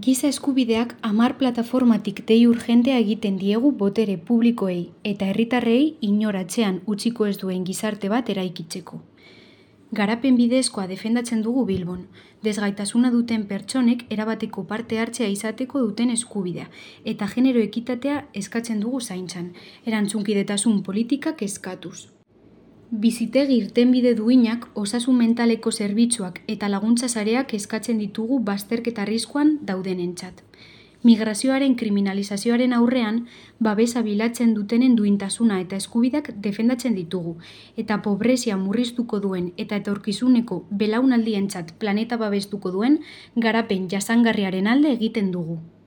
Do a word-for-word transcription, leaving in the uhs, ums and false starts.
Giza eskubideak hamar plataformatik dei urgentea egiten diegu botere publikoei eta herritarrei inoratzean utziko ez duen gizarte bat eraikitzeko. Garapen bidezkoa defendatzen dugu Bilbon, desgaitasuna duten pertsonek erabateko parte hartzea izateko duten eskubidea eta genero ekitatea eskatzen dugu zaintzan, erantzunkidetasun politikak eskatuz. Bizitegi irtenbide duinak, osasun mentaleko zerbitzuak eta laguntza sareak eskatzen ditugu bazterketa arriskuan daudenentzat. Migrazioaren kriminalizazioaren aurrean, babesa bilatzen dutenen duintasuna eta eskubideak defendatzen ditugu, eta pobrezia murriztuko duen eta etorkizuneko belaunaldientzat planeta babestuko duen garapen jasangarriaren alde egiten dugu.